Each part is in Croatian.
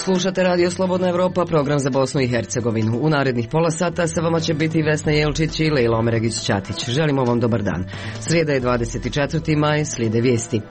Slušate Radio Slobodna Evropa, program za Bosnu i Hercegovinu. U narednih pola sata sa vama će biti Vesna Jelčić i Lejla Omeregić-Ćatić. Želimo vam dobar dan. Srijeda je 24. maj, slijede vijesti.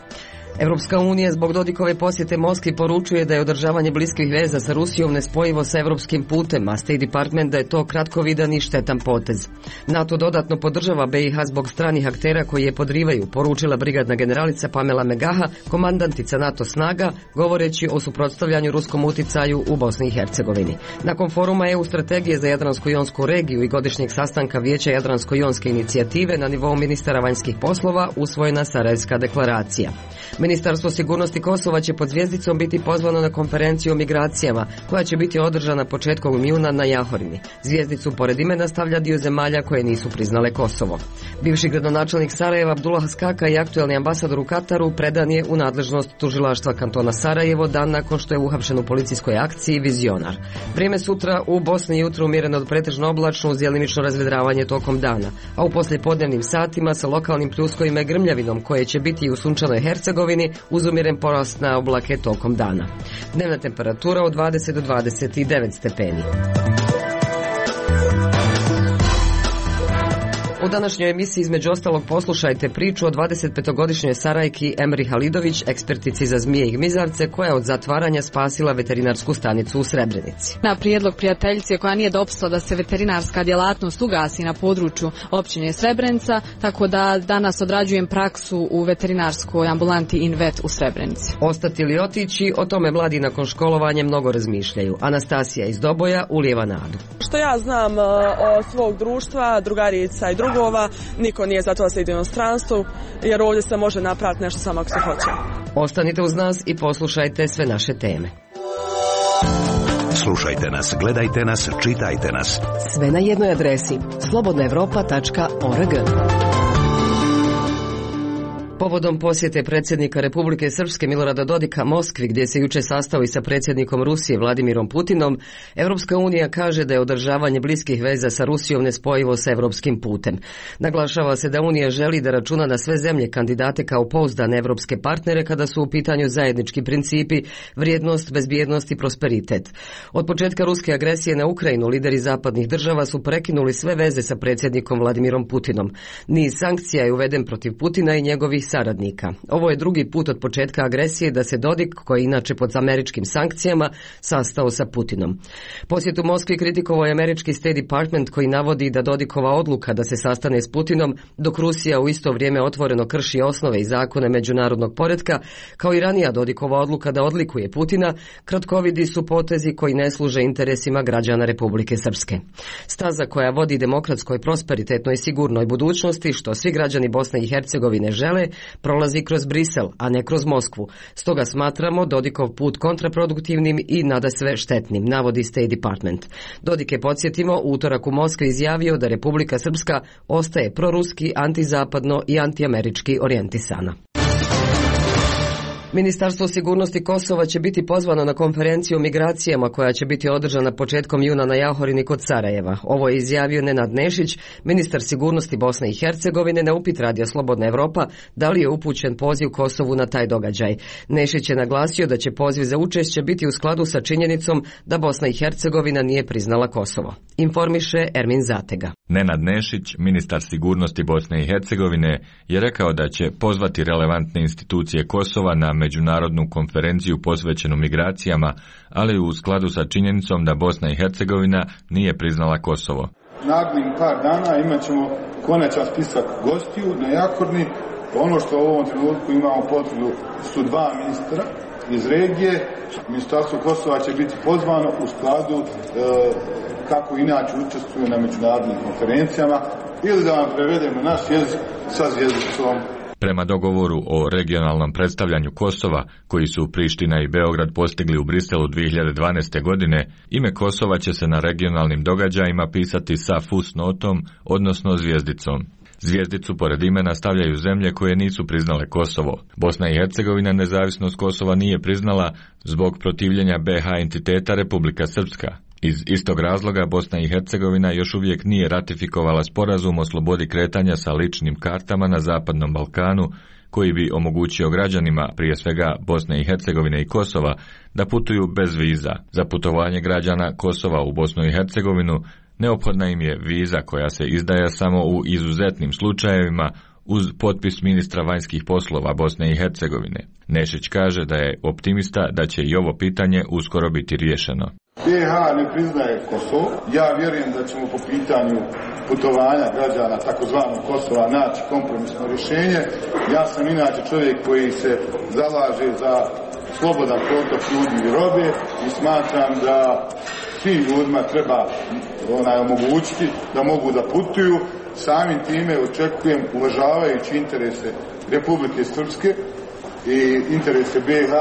Evropska unija zbog Dodikove posjete Moskvi poručuje da je održavanje bliskih veza sa Rusijom nespojivo sa evropskim putem, a State Department da je to kratkovidan i štetan potez. NATO dodatno podržava BiH zbog stranih aktera koji je podrivaju, poručila brigadna generalica Pamela Megaha, komandantica NATO snaga, govoreći o suprotstavljanju ruskom uticaju u Bosni i Hercegovini. Nakon foruma EU strategije za Jadransko-jonsku regiju i godišnjeg sastanka Vijeća Jadransko-jonske inicijative na nivou ministara vanjskih poslova usvojena Sarajevska deklaracija. Ministarstvo sigurnosti Kosova će pod zvijezdicom biti pozvano na konferenciju o migracijama, koja će biti održana početkom juna na Jahorini. Zvijezdicu pored imena stavlja dio zemalja koje nisu priznale Kosovo. Bivši gradonačelnik Sarajeva Abdullah Skaka i aktuelni ambasador u Kataru predan je u nadležnost tužilaštva kantona Sarajevo dan nakon što je uhapšen u policijskoj akciji Vizionar. Vrijeme sutra u Bosni jutro umjereno od pretežno oblačno uz djelimično razvedravanje tokom dana, a u poslijepodnevnim satima sa lokalnim pljuskovima i grmljavinom koje će biti u sunčanoj Hercegovini uz umjeren porast na oblake tokom dana. Dnevna temperatura od 20 do 29 stepeni. U današnjoj emisiji između ostalog poslušajte priču o 25-godišnjoj Sarajki Emri Halidović, ekspertici za zmije i gmizavce, koja je od zatvaranja spasila veterinarsku stanicu u Srebrenici. Na prijedlog prijateljice koja nije dopustila da se veterinarska djelatnost ugasi na području općine Srebrenica, tako da danas odrađujem praksu u veterinarskoj ambulanti Invet u Srebrenici. Ostati ili otići, o tome mladi nakon školovanja mnogo razmišljaju. Anastasija iz Doboja ulijeva nadu. Što ja znam od svog društva, drugarica i drugova, niko nije za to da se ide u inostranstvo, jer ovdje se može napraviti nešto samo ako se hoće. Ostanite uz nas i poslušajte sve naše teme. Slušajte nas, gledajte nas, čitajte nas. Sve na jednoj adresi slobodnaevropa.org. Povodom posjete predsjednika Republike Srpske Milorada Dodika Moskvi, gdje se jučer sastao i sa predsjednikom Rusije Vladimirom Putinom, Evropska unija kaže da je održavanje bliskih veza sa Rusijom nespojivo sa evropskim putem. Naglašava se da Unija želi da računa na sve zemlje kandidate kao pouzdane evropske partnere kada su u pitanju zajednički principi, vrijednost, bezbjednost i prosperitet. Od početka ruske agresije na Ukrajinu lideri zapadnih država su prekinuli sve veze sa predsjednikom Vladimirom Putinom. Niz sankcija je uveden protiv Putina i njegovih saradnika. Ovo je drugi put od početka agresije da se Dodik, koji je inače pod američkim sankcijama, sastao sa Putinom. Posjet u Moskvi kritikovao je američki State Department koji navodi da Dodikova odluka da se sastane s Putinom, dok Rusija u isto vrijeme otvoreno krši osnove i zakone međunarodnog poretka, kao i ranija Dodikova odluka da odlikuje Putina, kratkovidi su potezi koji ne služe interesima građana Republike Srpske. Staza koja vodi demokratskoj, prosperitetnoj i sigurnoj budućnosti, što svi građani Bosne i Hercegovine žele, prolazi kroz Brisel, a ne kroz Moskvu. Stoga smatramo Dodikov put kontraproduktivnim i nadasve štetnim, navodi State Department. Dodik je, podsjetimo, utorak u Moskvi izjavio da Republika Srpska ostaje proruski, antizapadno i antiamerički orijentisana. Ministarstvo sigurnosti Kosova će biti pozvano na konferenciju o migracijama koja će biti održana početkom juna na Jahorini kod Sarajeva. Ovo je izjavio Nenad Nešić, ministar sigurnosti Bosne i Hercegovine, na upit Radija Slobodna Evropa da li je upućen poziv Kosovu na taj događaj. Nešić je naglasio da će poziv za učešće biti u skladu sa činjenicom da Bosna i Hercegovina nije priznala Kosovo. Informiše Ermin Zatega. Nenad Nešić, ministar sigurnosti Bosne i Hercegovine, je rekao da će pozvati relevantne institucije Kosova na međunarodnu konferenciju posvećenu migracijama, ali u skladu sa činjenicom da Bosna i Hercegovina nije priznala Kosovo. Narednih par dana imat ćemo konačan spisak gostiju na Jakorni. Ono što u ovom trenutku imamo potvrdu su 2 ministra iz regije. Ministarstvo Kosova će biti pozvano u skladu kako inače učestvuje na međunarodnim konferencijama, ili da vam prevedemo naš jezik sa zvjezdicom. Prema dogovoru o regionalnom predstavljanju Kosova, koji su Priština i Beograd postigli u Briselu 2012. godine, ime Kosova će se na regionalnim događajima pisati sa fusnotom, odnosno zvijezdicom. Zvijezdicu pored imena stavljaju zemlje koje nisu priznale Kosovo. Bosna i Hercegovina nezavisnost Kosova nije priznala zbog protivljenja BiH entiteta Republika Srpska. Iz istog razloga Bosna i Hercegovina još uvijek nije ratifikovala sporazum o slobodi kretanja sa ličnim kartama na Zapadnom Balkanu, koji bi omogućio građanima, prije svega Bosne i Hercegovine i Kosova, da putuju bez viza. Za putovanje građana Kosova u Bosnu i Hercegovinu neophodna im je viza koja se izdaje samo u izuzetnim slučajevima uz potpis ministra vanjskih poslova Bosne i Hercegovine. Nešić kaže da je optimista da će i ovo pitanje uskoro biti riješeno. BiH ne priznaje Kosovo. Ja vjerujem da ćemo po pitanju putovanja građana takozvanog Kosova naći kompromisno rješenje. Ja sam inače čovjek koji se zalaže za slobodan protok ljudi i robe i smatram da svim ljudima treba omogućiti da mogu da putuju. Samim time očekujem, uvažavajući interese Republike Srpske i interese BiH,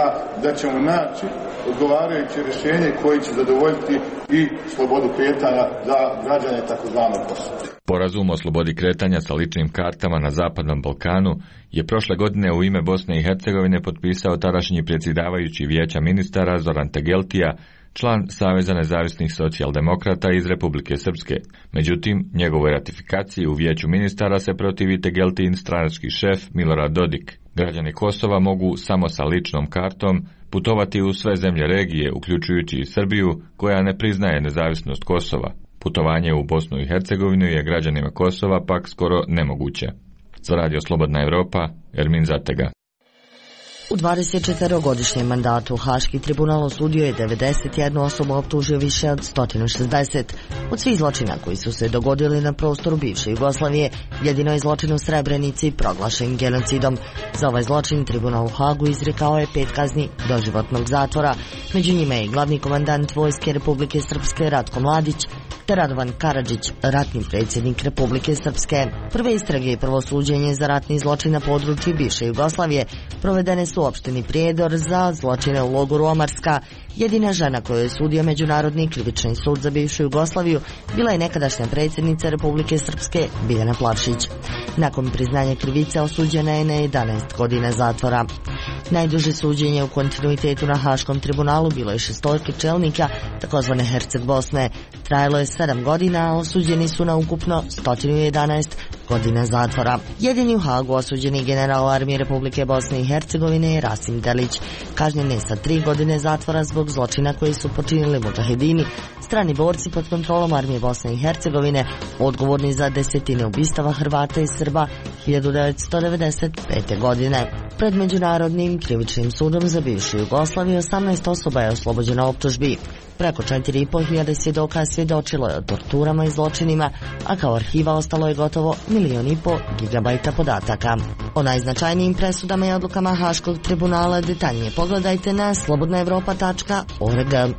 da ćemo naći odgovarajuće rješenje koje će zadovoljiti i slobodu kretanja za građane takozvanog Kosova. Sporazum o slobodi kretanja sa ličnim kartama na Zapadnom Balkanu je prošle godine u ime Bosne i Hercegovine potpisao tadašnji predsjedavajući Vijeća ministara Zoran Tegeltija, član Saveza nezavisnih socijaldemokrata iz Republike Srpske. Međutim, njegovoj ratifikaciji u Vijeću ministara se protivi Tegeltijin stranački šef Milorad Dodik. Građani Kosova mogu samo sa ličnom kartom putovati u sve zemlje regije, uključujući i Srbiju, koja ne priznaje nezavisnost Kosova. Putovanje u Bosnu i Hercegovinu je građanima Kosova pak skoro nemoguće. Za Radio Slobodna Evropa, Ermin Zatega. U 24-godišnjem mandatu Haški tribunal osudio je 91 osobu, optužio više od 160. Od svih zločina koji su se dogodili na prostoru bivše Jugoslavije, jedino je zločin u Srebrenici proglašen genocidom. Za ovaj zločin tribunal u Hagu izrekao je 5 kazni doživotnog zatvora. Među njima je glavni komandant Vojske Republike Srpske Ratko Mladić te Radovan Karadžić, ratni predsjednik Republike Srpske. Prve istrage i prvo suđenje za ratni zločin na području bivše Jugoslavije provedene su u opštini Prijedor za zločine u logoru Omarska. Jedina žena koju je sudio Međunarodni krivični sud za bivšu Jugoslaviju bila je nekadašnja predsjednica Republike Srpske Biljana Plavšić. Nakon priznanja krivice osuđena je na 11 godina zatvora. Najduže suđenje u kontinuitetu na Haškom tribunalu bilo je 6 čelnika takozvane Herceg Bosne. Trajalo je 7 godina, a osuđeni su na ukupno 111 godina zatvora. Jedini u Hagu osuđeni general armije Republike Bosne i Hercegovine je Rasim Delić. Kažnjen je sa 3 godine zatvora zbog zločina koji su počinili mudžahedini, strani borci pod kontrolom armije Bosne i Hercegovine, odgovorni za desetine ubistava Hrvata i Srba 1995. godine. Pred Međunarodnim krivičnim sudom za bivšu Jugoslaviju 18 osoba je oslobođeno optužbi. Preko 4.500 svjedoka svjedočilo je o torturama i zločinima, a kao arhiva ostalo je gotovo 1,5 gigabajta podataka. O najznačajnijim presudama i odlukama Haškog tribunala detaljnije pogledajte na slobodnaevropa.org.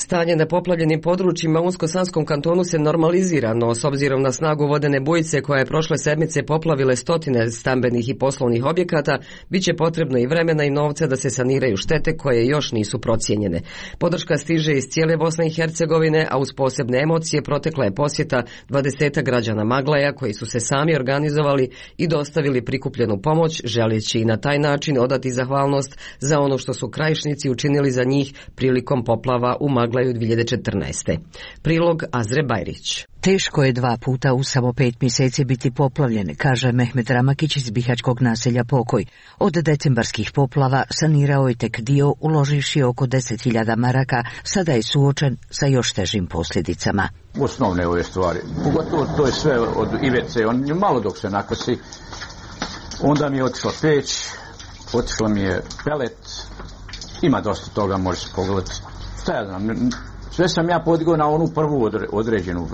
Stanje na poplavljenim područjima u Unsko-Sanskom kantonu se normalizira, no s obzirom na snagu vodene bujice koja je prošle sedmice poplavile stotine stambenih i poslovnih objekata, bit će potrebno i vremena i novca da se saniraju štete koje još nisu procijenjene. Podrška stiže iz cijele Bosne i Hercegovine, a uz posebne emocije protekla je posjeta 20 građana Maglaja koji su se sami organizovali i dostavili prikupljenu pomoć, želeći i na taj način odati zahvalnost za ono što su krajišnici učinili za njih prilikom poplava u Maglaju 2014. Prilog Azre Bajrić. Teško je 2 puta u samo 5 mjeseci biti poplavljen, kaže Mehmet Ramakić iz bihaćkog naselja Pokoj. Od decembarskih poplava sanirao je tek dio, uloživši oko 10.000 maraka, sada je suočen sa još težim posljedicama. Osnovne ove stvari, pogotovo to je sve od ivice, on malo dok se nakosi, onda mi je otišla peć, otišla mi je pelet, ima dosta toga, može se pogledati. Šta ja znam, sve sam ja podigao na onu prvu određenu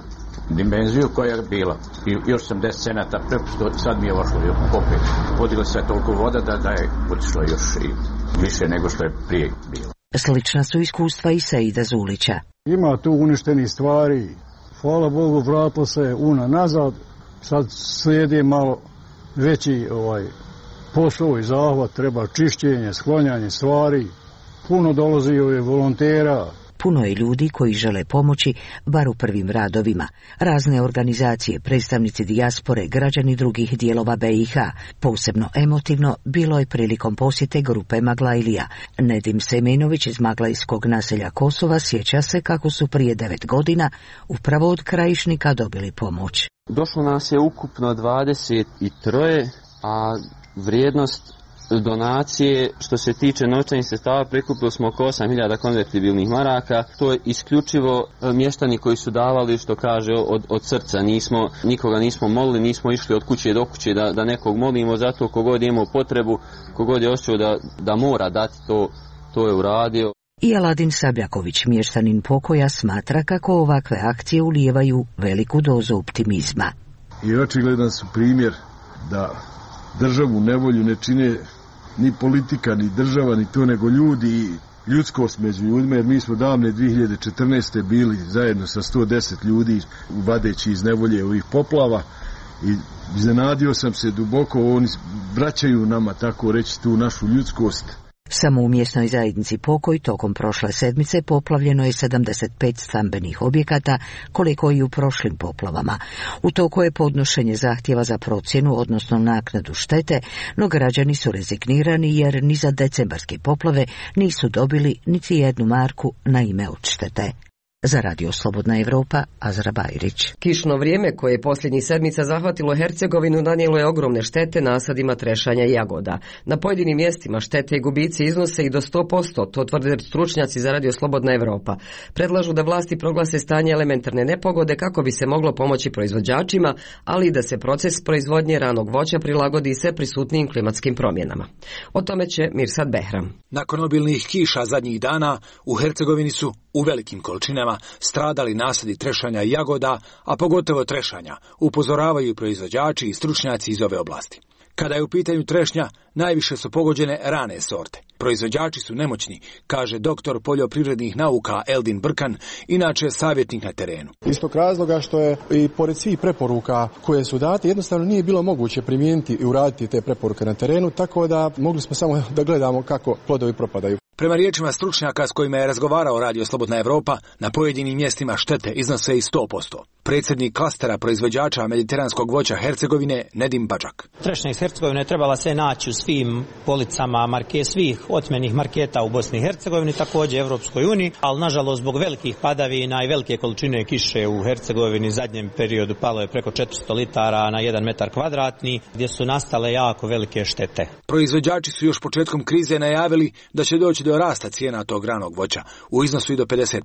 dimenziju koja je bila. I još sam 10 cenata prepušto, sad mi je ošlo opet. Podigla se toliko voda da je otišlo još i više nego što je prije bilo. Slična su iskustva i Seida Zulića. Ima tu uništenih stvari. Hvala Bogu, vratilo se nazad. Sad slijedi malo veći posao i zahvat. Treba čišćenje, sklanjanje stvari. Puno dolazi volontera. Puno je ljudi koji žele pomoći, bar u prvim radovima. Razne organizacije, predstavnici dijaspore, građani drugih dijelova BiH. Posebno emotivno bilo je prilikom posjete grupe Maglajlija. Nedim Semenović iz Maglajskog naselja Kosova sjeća se kako su prije 9 godina upravo od krajišnika dobili pomoć. Došlo nas je ukupno 23, a vrijednost donacije, što se tiče novčanih sredstava, prikupili smo oko 8.000 konvertibilnih maraka. To je isključivo mještani koji su davali, što kaže, od srca. Nikoga nismo molili, nismo išli od kuće do kuće da nekog molimo, zato kogod je imao potrebu, kogod je osjećao da mora dati, to je uradio. I Aladin Sabljaković, mještanin Pokoja, smatra kako ovakve akcije ulijevaju veliku dozu optimizma. I očigledan su primjer da državu nevolju ne čine ni politika, ni država, ni to, nego ljudi i ljudskost među ljudima, jer mi smo davne 2014. bili zajedno sa 110 ljudi vadeći iz nevolje ovih poplava i iznenadio sam se duboko, oni vraćaju nama, tako reći, tu našu ljudskost. Samo u mjesnoj zajednici Pokoj tokom prošle sedmice poplavljeno je 75 stambenih objekata, koliko i u prošlim poplavama. U toku je podnošenje zahtjeva za procjenu, odnosno naknadu štete, no građani su rezignirani jer ni za decembarske poplave nisu dobili niti jednu marku na ime odštete. Za Radio Slobodna Evropa, Azra Bajrić. Kišno vrijeme koje je posljednjih sedmica zahvatilo Hercegovinu nanijelo je ogromne štete nasadima trešanja i jagoda. Na pojedinim mjestima štete i gubici iznose i do 100%, to tvrde stručnjaci za Radio Slobodna Evropa. Predlažu da vlasti proglase stanje elementarne nepogode kako bi se moglo pomoći proizvođačima, ali i da se proces proizvodnje ranog voća prilagodi sve prisutnijim klimatskim promjenama. O tome će Mirsad Behram. Nakon obilnih kiša zadnjih dana u Hercegovini su u velikim količinama stradali nasadi trešanja i jagoda, a pogotovo trešanja, upozoravaju proizvođači i stručnjaci iz ove oblasti. Kada je u pitanju trešnja, najviše su pogođene rane sorte. Proizvođači su nemoćni, kaže doktor poljoprivrednih nauka Eldin Brkan, inače savjetnik na terenu. Iz tog razloga što je i pored svih preporuka koje su date, jednostavno nije bilo moguće primijeniti i uraditi te preporuke na terenu, tako da mogli smo samo da gledamo kako plodovi propadaju. Prema riječima stručnjaka s kojima je razgovarao Radio Slobodna Evropa, na pojedinim mjestima štete iznose i 100%. Predsjednik klastera proizvođača mediteranskog voća Hercegovine, Nedim Badžak. Trešnja iz Hercegovine trebala se naći u svim policama svih otmenih marketa u Bosni i Hercegovini, također Evropskoj uniji, ali nažalost zbog velikih padavina i velike količine kiše u Hercegovini zadnjem periodu palo je preko 400 litara na 1 metar kvadratni, gdje su nastale jako velike štete. Proizvođači su još početkom krize najavili da će doći do rasta cijena tog ranog voća u iznosu i do 50%.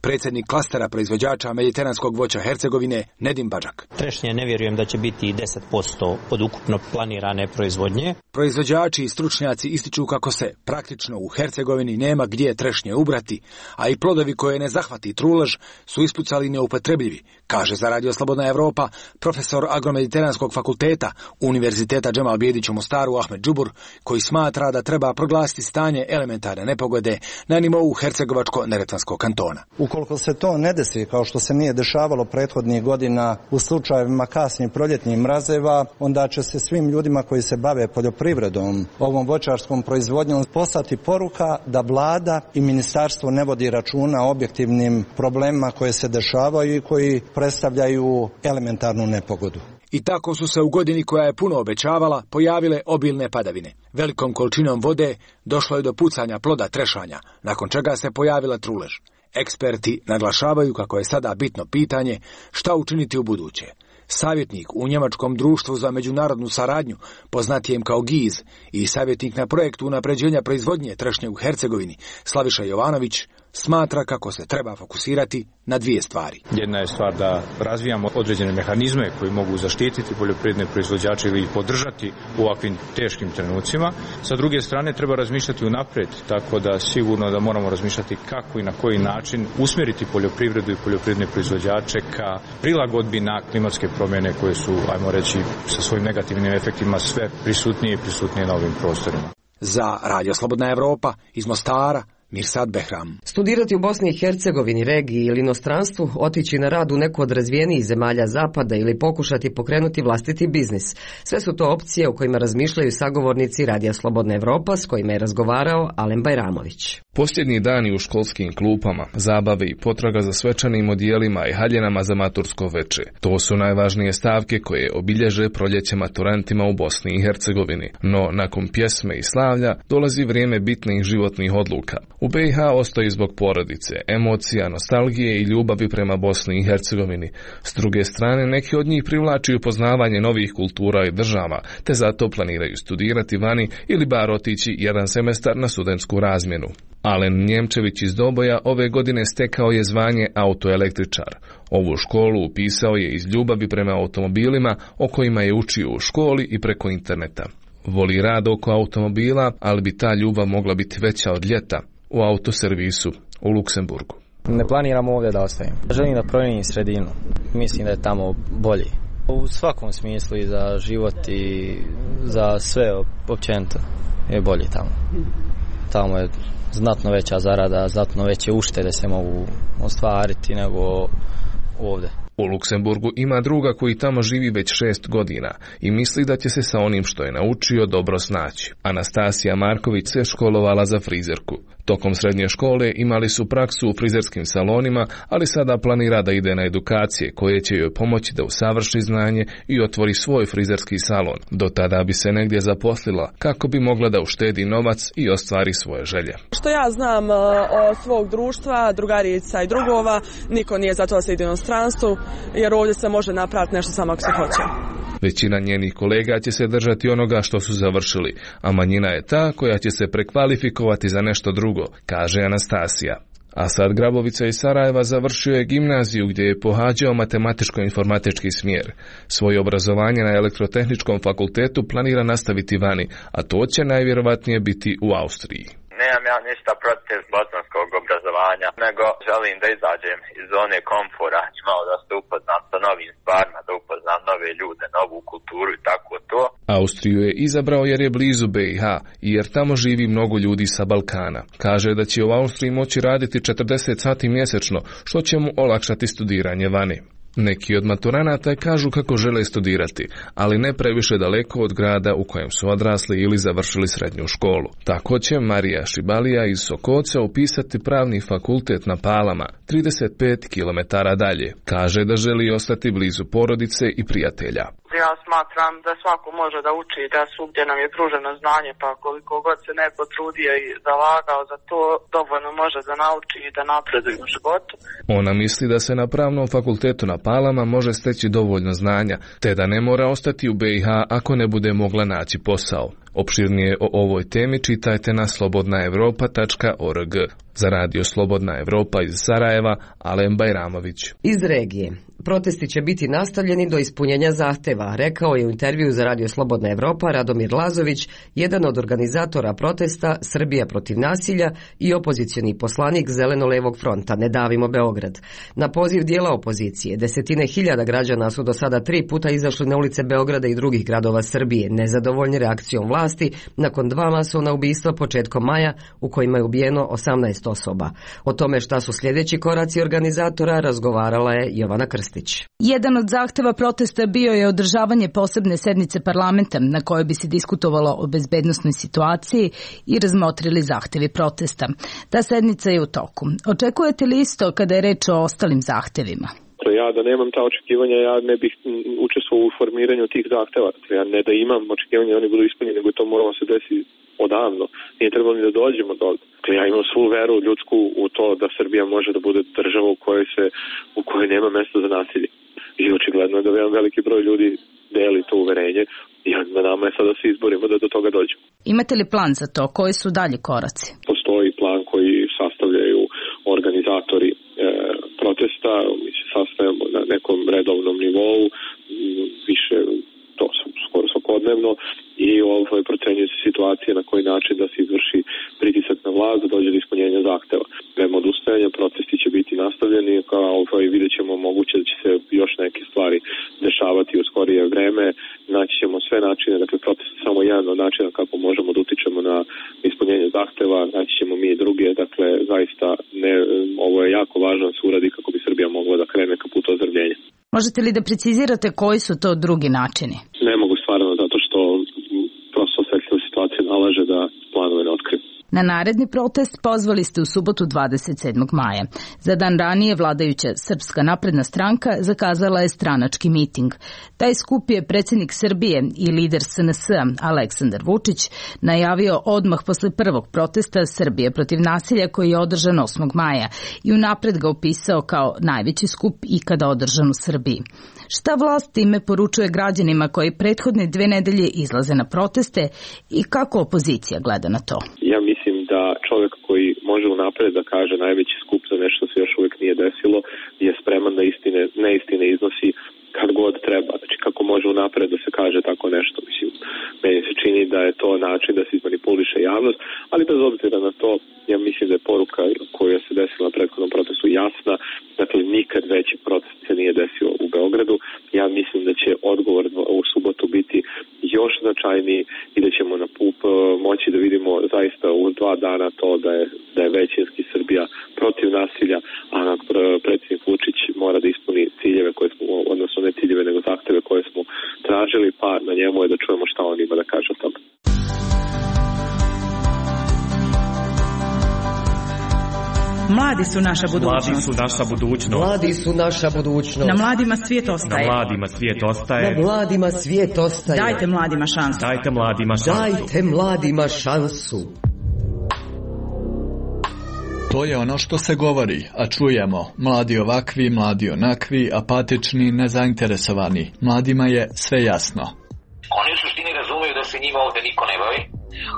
Predsjednik klastera proizvođača mediteranskog voća Hercegovine, Nedim Badžak. Trešnje ne vjerujem da će biti 10% od ukupno planirane proizvodnje. Proizvođači i stručnjaci ističu kako se praktično u Hercegovini nema gdje trešnje ubrati, a i plodovi koje ne zahvati trulež su ispucali neupotrebljivi, kaže za Radio Slobodna Evropa profesor agromediteranskog fakulteta Univerziteta Džemal Bijedić u Mostaru Ahmed Džubur, koji smatra da treba proglasiti stanje elementarne nepogode na nivou Hercegovačko-Neretvanskog kantona. Ukoliko se to ne desi, kao što se nije dešavalo prethodnih godina u slučajevima kasnih proljetnih mrazeva, onda će se svim ljudima koji se bave poljoprivredom, ovom voćarskom proizvodnjom, poslati poruka da vlada i ministarstvo ne vodi računa o objektivnim problemima koje se dešavaju i koji predstavljaju elementarnu nepogodu. I tako su se u godini koja je puno obećavala pojavile obilne padavine. Velikom količinom vode došlo je do pucanja ploda trešanja, nakon čega se pojavila trulež. Eksperti naglašavaju kako je sada bitno pitanje šta učiniti u buduće. Savjetnik u Njemačkom društvu za međunarodnu saradnju, poznatijem kao GIZ, i savjetnik na projektu unapređenja proizvodnje trešnje u Hercegovini, Slaviša Jovanović, smatra kako se treba fokusirati na dvije stvari. Jedna je stvar da razvijamo određene mehanizme koji mogu zaštititi poljoprivredne proizvođače ili ih podržati u ovakvim teškim trenucima. Sa druge strane treba razmišljati unaprijed, tako da sigurno da moramo razmišljati kako i na koji način usmjeriti poljoprivredu i poljoprivredne proizvođače ka prilagodbi na klimatske promjene koje su, ajmo reći, sa svojim negativnim efektima sve prisutnije i prisutnije na ovim prostorima. Za Radio Slobodna Evropa iz Mostara, Mirsad Behram. Studirati u Bosni i Hercegovini, regiji ili inostranstvu, otići na rad u neku od razvijenijih zemalja zapada ili pokušati pokrenuti vlastiti biznis. Sve su to opcije o kojima razmišljaju sagovornici Radija Slobodna Evropa s kojima je razgovarao Alen Bajramović. Posljednji dani u školskim klupama, zabave i potraga za svečanim odijelima i haljenama za matursko veče. To su najvažnije stavke koje obilježe proljeće maturantima u Bosni i Hercegovini. No, nakon pjesme i slavlja dolazi vrijeme bitnih životnih odluka. U BiH ostoji zbog porodice, emocija, nostalgije i ljubavi prema Bosni i Hercegovini. S druge strane, neki od njih privlači upoznavanje novih kultura i država, te zato planiraju studirati vani ili bar otići jedan semestar na studentsku razmjenu. Alen Njemčević iz Doboja ove godine stekao je zvanje autoelektričar. Ovu školu upisao je iz ljubavi prema automobilima o kojima je učio u školi i preko interneta. Voli rad oko automobila, ali bi ta ljubav mogla biti veća od ljeta u autoservisu u Luksemburgu. Ne planiram ovdje da ostavim. Želim da promijenim sredinu. Mislim da je tamo bolji. U svakom smislu i za život i za sve općenito je bolji tamo. Tamo je znatno veća zarada, znatno veće uštede se mogu ostvariti nego ovdje. U Luksemburgu ima druga koji tamo živi već 6 godina i misli da će se sa onim što je naučio dobro snaći. Anastasija Marković se školovala za frizerku. Tokom srednje škole imali su praksu u frizerskim salonima, ali sada planira da ide na edukacije koje će joj pomoći da usavrši znanje i otvori svoj frizerski salon. Do tada bi se negdje zaposlila kako bi mogla da uštedi novac i ostvari svoje želje. Što ja znam od svog društva, drugarica i drugova, niko nije za to da se ide u inostranstvu, jer ovdje se može napraviti nešto samo ako se hoće. Većina njenih kolega će se držati onoga što su završili, a manjina je ta koja će se prekvalifikovati za nešto drugo, kaže Anastasija. Asad Grabovica iz Sarajeva završio je gimnaziju gdje je pohađao matematičko-informatički smjer. Svoje obrazovanje na elektrotehničkom fakultetu planira nastaviti vani, a to će najvjerovatnije biti u Austriji. Nemam ja ništa protiv bosanskog obrazovanja, nego želim da izađem iz zone komfora i malo da se upoznam sa novim stvarima, da upoznam nove ljude, novu kulturu i tako to. Austriju je izabrao jer je blizu BiH i jer tamo živi mnogo ljudi sa Balkana. Kaže da će u Austriji moći raditi 40 sati mjesečno, što će mu olakšati studiranje vani. Neki od maturanata kažu kako žele studirati, ali ne previše daleko od grada u kojem su odrasli ili završili srednju školu. Tako će Marija Šibalija iz Sokoca upisati pravni fakultet na Palama, 35 km dalje. Kaže da želi ostati blizu porodice i prijatelja. Ja smatram da svako može da uči, da svugdje nam je pruženo znanje, pa koliko god se neko trudio i zalagao za to, dovoljno može da nauči i da napreduje u životu. Ona misli da se na pravnom fakultetu na Palama može steći dovoljno znanja, te da ne mora ostati u BiH ako ne bude mogla naći posao. Opširnije o ovoj temi čitajte na slobodnaevropa.org. Za radio Slobodna Evropa iz Sarajeva, Alen Bajramović. Iz regije. Protesti će biti nastavljeni do ispunjenja zahteva, rekao je u intervju za radio Slobodna Evropa Radomir Lazović, jedan od organizatora protesta Srbija protiv nasilja i opozicioni poslanik Zeleno-levog fronta Ne davimo Beograd. Na poziv dijela opozicije, desetine hiljada građana su do sada 3 puta izašli na ulice Beograda i drugih gradova Srbije, nezadovoljni reakcijom vlasti nakon 2 masovna ubistva početkom maja u kojima je ubijeno 18 osoba. O tome šta su sljedeći koraci organizatora razgovarala je Jovana Krstić. Jedan od zahteva protesta bio je održavanje posebne sednice parlamenta na kojoj bi se diskutovalo o bezbednosnoj situaciji i razmotrili zahtevi protesta. Ta sednica je u toku. Očekujete li isto kada je reč o ostalim zahtevima? Ja da nemam ta očekivanja, ja ne bih učestvovao u formiranju tih zahteva. Ja ne da imam očekivanja, oni budu ispunjeni, nego to moramo se desiti odavno. Nije trebalo ni da dođemo do toga. Ja imam svu veru ljudsku u to da Srbija može da bude država u kojoj nema mesta za nasilje. I očigledno je da jedan veliki broj ljudi deli to uverenje i na nama je sada da se izborimo da do toga dođemo. Imate li plan za to? Koji su dalje koraci? Postoji plan koji sastavljaju organizatori protesta, mi se sastavljamo na nekom redovnom nivou, više to skoro svakodnevno i procenjuje se situacija na koji način da se izvrši pritisak na vlast da dođe do ispunjenja zahteva. Nema odustajanja, protesti će biti nastavljeni, vidjet ćemo moguće da će se još neke stvari dešavati u skorije vreme, naći ćemo sve načine, dakle protest je samo jedan od načina kako možemo da utičemo na ispunjenje zahteva, naći ćemo mi i druge, dakle zaista ovo je jako važno da se uradi kako bi Srbija mogla da krene ka putu ozdravljenja. Možete li da precizirate koji su to drugi načini? Ne mogu stvarno, zato što prosto osjetljiva situacija nalaže da planove ne otkrijem. Na naredni protest pozvali ste u subotu 27. maja. Za dan ranije vladajuća Srpska napredna stranka zakazala je stranački miting. Taj skup je predsjednik Srbije i lider SNS-a Aleksandar Vučić najavio odmah posle prvog protesta Srbije protiv nasilja koji je održan 8. maja i unapred ga opisao kao najveći skup ikada održan u Srbiji. Šta vlast time poručuje građanima koji prethodne 2 nedelje izlaze na proteste i kako opozicija gleda na to? Ja mislim da čovjek koji može unapred da kaže najveći skup za nešto se još uvijek nije desilo je spreman da neistine iznosi kad god treba. Znači kako može unapred da se kaže tako nešto. Mislim, meni se čini da je to način da se izmanipuliše javnost, ali bez obzira na to, ja mislim da je poruka koja se desila na prethodnom protestu jasna. Dakle, nikad veći protest se nije desio u Beogradu. Ja mislim da će odgovor u subotu biti još značajniji i da ćemo na PUP moći da vidimo zaista u 2 dana to da je većinski Srbija protiv nasilja, a predsjednik Vučić mora da ispuni ciljeve koje smo, odnosno ne ciljeve nego zahteve koje smo tražili, pa na njemu je da čujemo šta on ima da kaže o tome. Mladi su naša budućnost. Mladi su naša budućnost. Mladi su naša budućnost. Na mladima svijet ostaje. Na mladima svijet ostaje. Na mladima svijet ostaje. Dajte mladima šansu. Dajte mladima šansu. Dajte mladima šansu. To je ono što se govori, a čujemo. Mladi ovakvi, mladi onakvi, apatični, nezainteresovani. Mladima je sve jasno. Oni u suštini razumeju da se njima ovde niko ne bavi,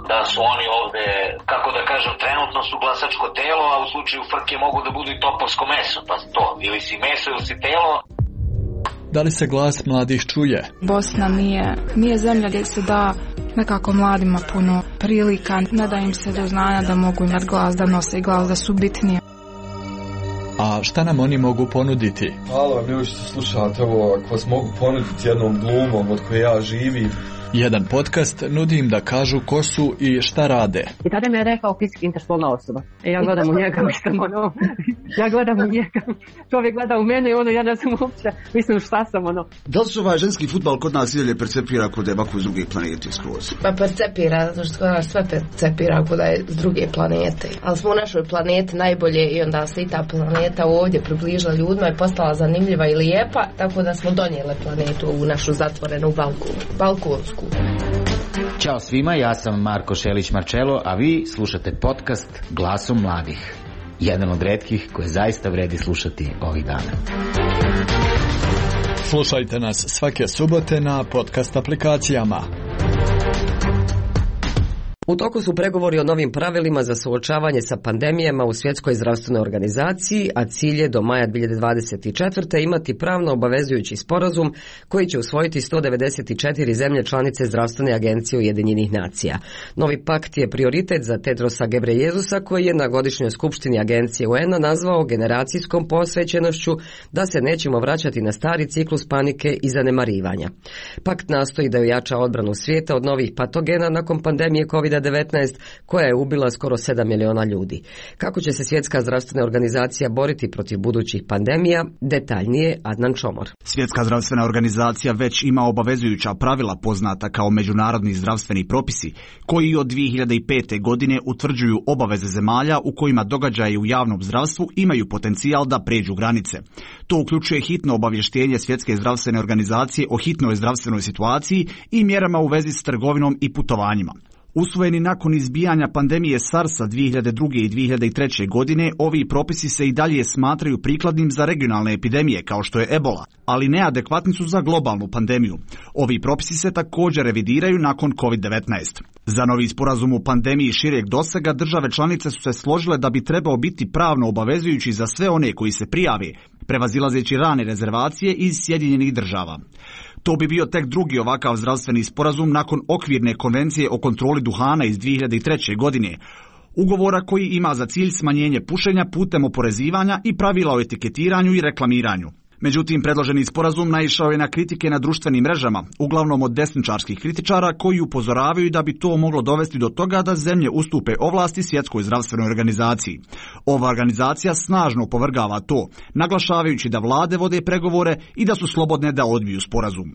da su oni ovde, kako da kažem, trenutno su glasačko telo, a u slučaju frke mogu da budu i topovsko meso, pa to, ili si meso ili si telo. Da li se glas mladih čuje? Bosna nije zemlja gdje se da nekako mladima puno prilika, ne da im se do znanja da mogu imati glas, da nose i glas, da su bitnije. A šta nam oni mogu ponuditi? Hvala vam ljudi što slušate ovo, ako vas mogu ponuditi jednom glumom od koje ja živim. Jedan podcast nudi im da kažu ko su i šta rade. I tada mi je rekao fizički interspolna osoba. Ja gledam u njega, ja gledam u njega. Čovjek gleda u mene i ja ne znam uopće, mislim šta sam Da li se ovaj ženski fudbal kod nas idalje percepira kod da je ovako s druge planete skroz? Pa percepira, zato što sve percepira kod da je s druge planete. Ali smo u našoj planeti najbolje i onda se i ta planeta ovdje približila ljudima i postala zanimljiva i lijepa, tako da smo donijeli planetu u našu zatvorenu balkonsku. Ćao svima, ja sam Marko Šelić-Marčelo, a vi slušate podcast Glasom mladih. Jedan od retkih koje zaista vredi slušati ovih dana. Slušajte nas svake subote na podcast aplikacijama. U toku su pregovori o novim pravilima za suočavanje sa pandemijama u Svjetskoj zdravstvenoj organizaciji, a cilj je do maja 2024. imati pravno obavezujući sporazum koji će usvojiti 194 zemlje članice Zdravstvene agencije Ujedinjenih nacija. Novi pakt je prioritet za Tedrosa Gebreyesusa koji je na godišnjoj skupštini agencije UN-a nazvao generacijskom posvećenošću da se nećemo vraćati na stari ciklus panike i zanemarivanja. Pakt nastoji da ojača odbranu svijeta od novih patogena nakon pandemije COVID-19 koja je ubila skoro 7 miliona ljudi. Kako će se Svjetska zdravstvena organizacija boriti protiv budućih pandemija? Detaljnije Adnan Čomor. Svjetska zdravstvena organizacija već ima obavezujuća pravila poznata kao međunarodni zdravstveni propisi, koji od 2005. godine utvrđuju obaveze zemalja u kojima događaji u javnom zdravstvu imaju potencijal da pređu granice. To uključuje hitno obavještenje Svjetske zdravstvene organizacije o hitnoj zdravstvenoj situaciji i mjerama u vezi s trgovinom i putovanjima. Usvojeni nakon izbijanja pandemije SARS-a 2002. i 2003. godine, ovi propisi se i dalje smatraju prikladnim za regionalne epidemije kao što je ebola, ali neadekvatni su za globalnu pandemiju. Ovi propisi se također revidiraju nakon COVID-19. Za novi sporazum u pandemiji šireg dosega države članice su se složile da bi trebao biti pravno obavezujući za sve one koji se prijave, prevazilazeći rane rezervacije iz Sjedinjenih država. To bi bio tek drugi ovakav zdravstveni sporazum nakon okvirne konvencije o kontroli duhana iz 2003. godine, ugovora koji ima za cilj smanjenje pušenja putem oporezivanja i pravila o etiketiranju i reklamiranju. Međutim, predloženi sporazum naišao je na kritike na društvenim mrežama, uglavnom od desničarskih kritičara koji upozoravaju da bi to moglo dovesti do toga da zemlje ustupe ovlasti Svjetskoj zdravstvenoj organizaciji. Ova organizacija snažno opovrgava to, naglašavajući da vlade vode pregovore i da su slobodne da odbiju sporazum.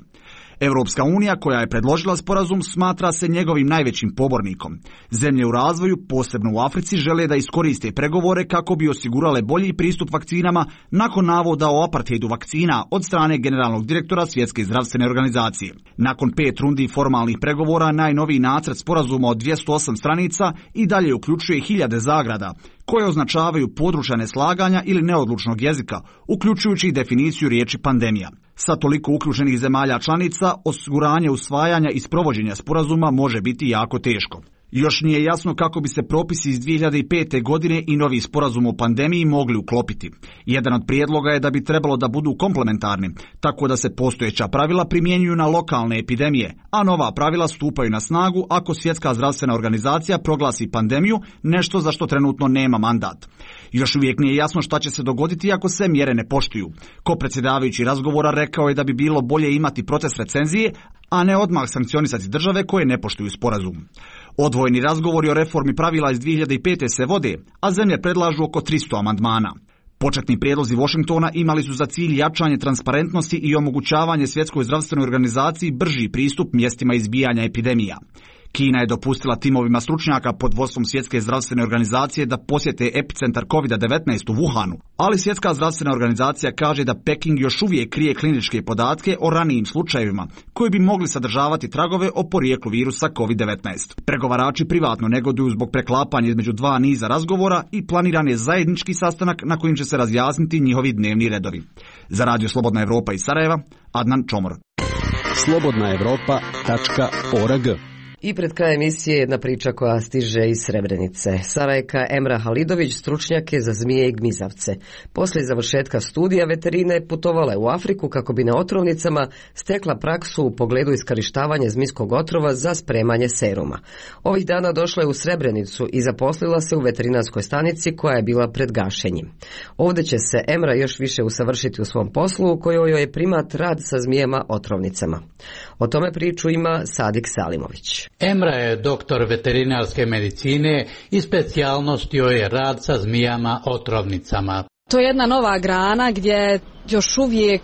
Europska unija, koja je predložila sporazum, smatra se njegovim najvećim pobornikom. Zemlje u razvoju, posebno u Africi, žele da iskoriste pregovore kako bi osigurale bolji pristup vakcinama nakon navoda o apartheidu vakcina od strane generalnog direktora Svjetske zdravstvene organizacije. Nakon 5 rundi formalnih pregovora, najnoviji nacrt sporazuma od 208 stranica i dalje uključuje hiljade zagrada, koje označavaju područja neslaganja ili neodlučnog jezika, uključujući i definiciju riječi pandemija. Sa toliko uključenih zemalja članica, osiguranje usvajanja i sprovođenja sporazuma može biti jako teško. Još nije jasno kako bi se propisi iz 2005. godine i novi sporazum o pandemiji mogli uklopiti. Jedan od prijedloga je da bi trebalo da budu komplementarni, tako da se postojeća pravila primjenjuju na lokalne epidemije, a nova pravila stupaju na snagu ako Svjetska zdravstvena organizacija proglasi pandemiju, nešto za što trenutno nema mandat. Još uvijek nije jasno šta će se dogoditi ako se mjere ne poštuju. Ko-predsjedavajući razgovora rekao je da bi bilo bolje imati proces recenzije, a ne odmah sankcionisati države koje ne poštuju sporazum. Odvojeni razgovori o reformi pravila iz 2005. se vode, a zemlje predlažu oko 300 amandmana. Početni prijedlozi Washingtona imali su za cilj jačanje transparentnosti i omogućavanje Svjetskoj zdravstvenoj organizaciji brži pristup mjestima izbijanja epidemija. Kina je dopustila timovima stručnjaka pod vodstvom Svjetske zdravstvene organizacije da posjete epicentar COVID-19 u Wuhanu, ali Svjetska zdravstvena organizacija kaže da Peking još uvijek krije kliničke podatke o ranijim slučajevima, koji bi mogli sadržavati tragove o porijeklu virusa COVID-19. Pregovarači privatno negoduju zbog preklapanja između dva niza razgovora i planiran je zajednički sastanak na kojim će se razjasniti njihovi dnevni redovi. Za Radio Slobodna Evropa iz Sarajeva, Adnan Čomor. slobodnaevropa.org. I pred kraj emisije jedna priča koja stiže iz Srebrenice. Sarajka Emra Halidović stručnjak je za zmije i gmizavce. Poslije završetka studija veterine putovala je u Afriku kako bi na otrovnicama stekla praksu u pogledu iskorištavanja zmijskog otrova za spremanje seruma. Ovih dana došla je u Srebrenicu i zaposlila se u veterinarskoj stanici koja je bila pred gašenjem. Ovdje će se Emra još više usavršiti u svom poslu u kojoj joj je primat rad sa zmijema otrovnicama. O tome priču ima Sadik Salimović. Emra je doktor veterinarske medicine i specijalnost joj je rad sa zmijama otrovnicama. To je jedna nova grana gdje još uvijek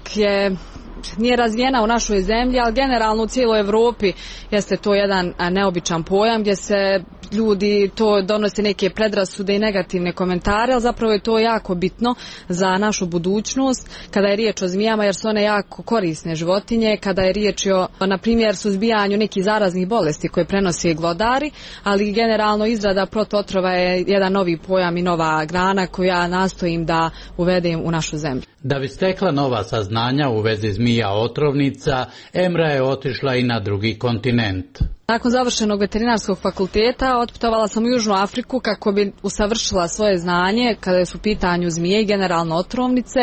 nije razvijena u našoj zemlji, ali generalno u cijeloj Europi jeste to jedan neobičan pojam gdje se ljudi to donose neke predrasude i negativne komentare, ali zapravo je to jako bitno za našu budućnost kada je riječ o zmijama, jer su one jako korisne životinje, kada je riječ o, na primjer, suzbijanju nekih zaraznih bolesti koje prenose glodari, ali generalno izrada protootrova je jedan novi pojam i nova grana koju ja nastojim da uvedem u našu zemlju. Da bi stekla nova saznanja u vezi zmija otrovnica, Emra je otišla i na drugi kontinent. Nakon završenog veterinarskog fakulteta otputovala sam u Južnu Afriku kako bi usavršila svoje znanje kada su u pitanju zmije i generalno otrovnice,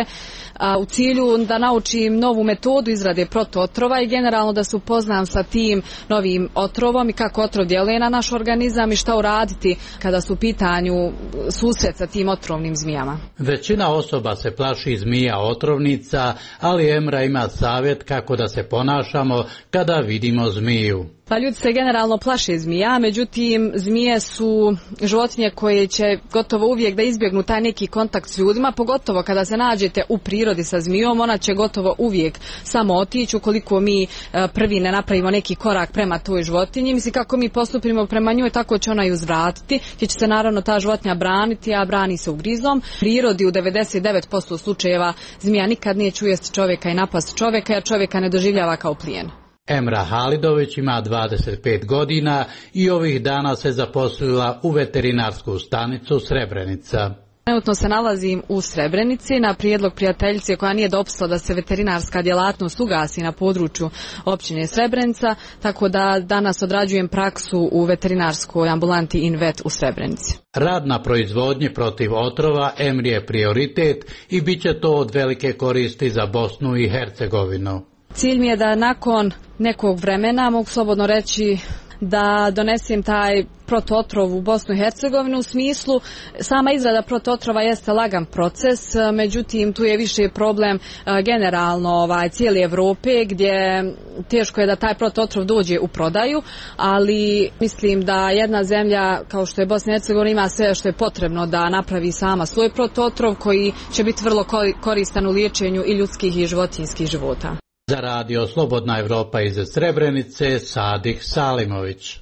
u cilju da naučim novu metodu izrade protootrova i generalno da se upoznam sa tim novim otrovom i kako otrov djeluje na naš organizam i šta uraditi kada su u pitanju susret sa tim otrovnim zmijama. Većina osoba se plaši zmija otrovnica, ali Emra ima savjet kako da se ponašamo kada vidimo zmiju. Pa ljudi se generalno plaše zmija, međutim zmije su životinje koje će gotovo uvijek da izbjegnu taj neki kontakt s ljudima, pogotovo kada se nađete u prirodi sa zmijom, ona će gotovo uvijek samo otići ukoliko mi prvi ne napravimo neki korak prema toj životinji. Mislim, kako mi postupimo prema njoj, tako će ona i uzvratiti, gdje će se naravno ta životinja braniti, a brani se ugrizom. U prirodi u 99% slučajeva zmija nikad neće ujesti čovjeka i napast čovjeka, jer čovjeka ne doživljava kao plijen. Emra Halidović ima 25 godina i ovih dana se zaposlila u veterinarsku stanicu Srebrenica. Trenutno se nalazim u Srebrenici na prijedlog prijateljice koja nije dopustila da se veterinarska djelatnost ugasi na području općine Srebrenica, tako da danas odrađujem praksu u veterinarskoj ambulanti InVet u Srebrenici. Rad na proizvodnji protiv otrova Emri je prioritet i bit će to od velike koristi za Bosnu i Hercegovinu. Cilj mi je da nakon nekog vremena, mogu slobodno reći, da donesem taj protootrov u Bosnu i Hercegovinu. U smislu, sama izrada protootrova jeste lagan proces, međutim tu je više problem generalno cijele Europe, gdje teško je da taj protootrov dođe u prodaju, ali mislim da jedna zemlja kao što je Bosna i Hercegovina ima sve što je potrebno da napravi sama svoj protootrov koji će biti vrlo koristan u liječenju i ljudskih i životinjskih života. Za radio Slobodna Evropa iz Srebrenice, Sadih Salimović.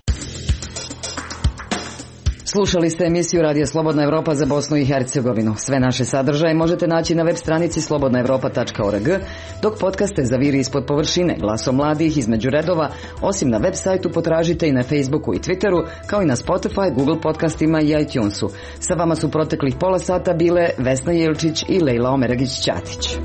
Slušali ste emisiju Radija Slobodna Evropa za Bosnu i Hercegovinu. Sve naše sadržaje možete naći na web stranici slobodnaevropa.org, dok podcaste zaviri ispod površine Glasom mladih između redova, osim na web sajtu potražite i na Facebooku i Twitteru, kao i na Spotify, Google podcastima i iTunesu. Sa vama su proteklih pola sata bile Vesna Jelčić i Lejla Omeragić-Ćatić.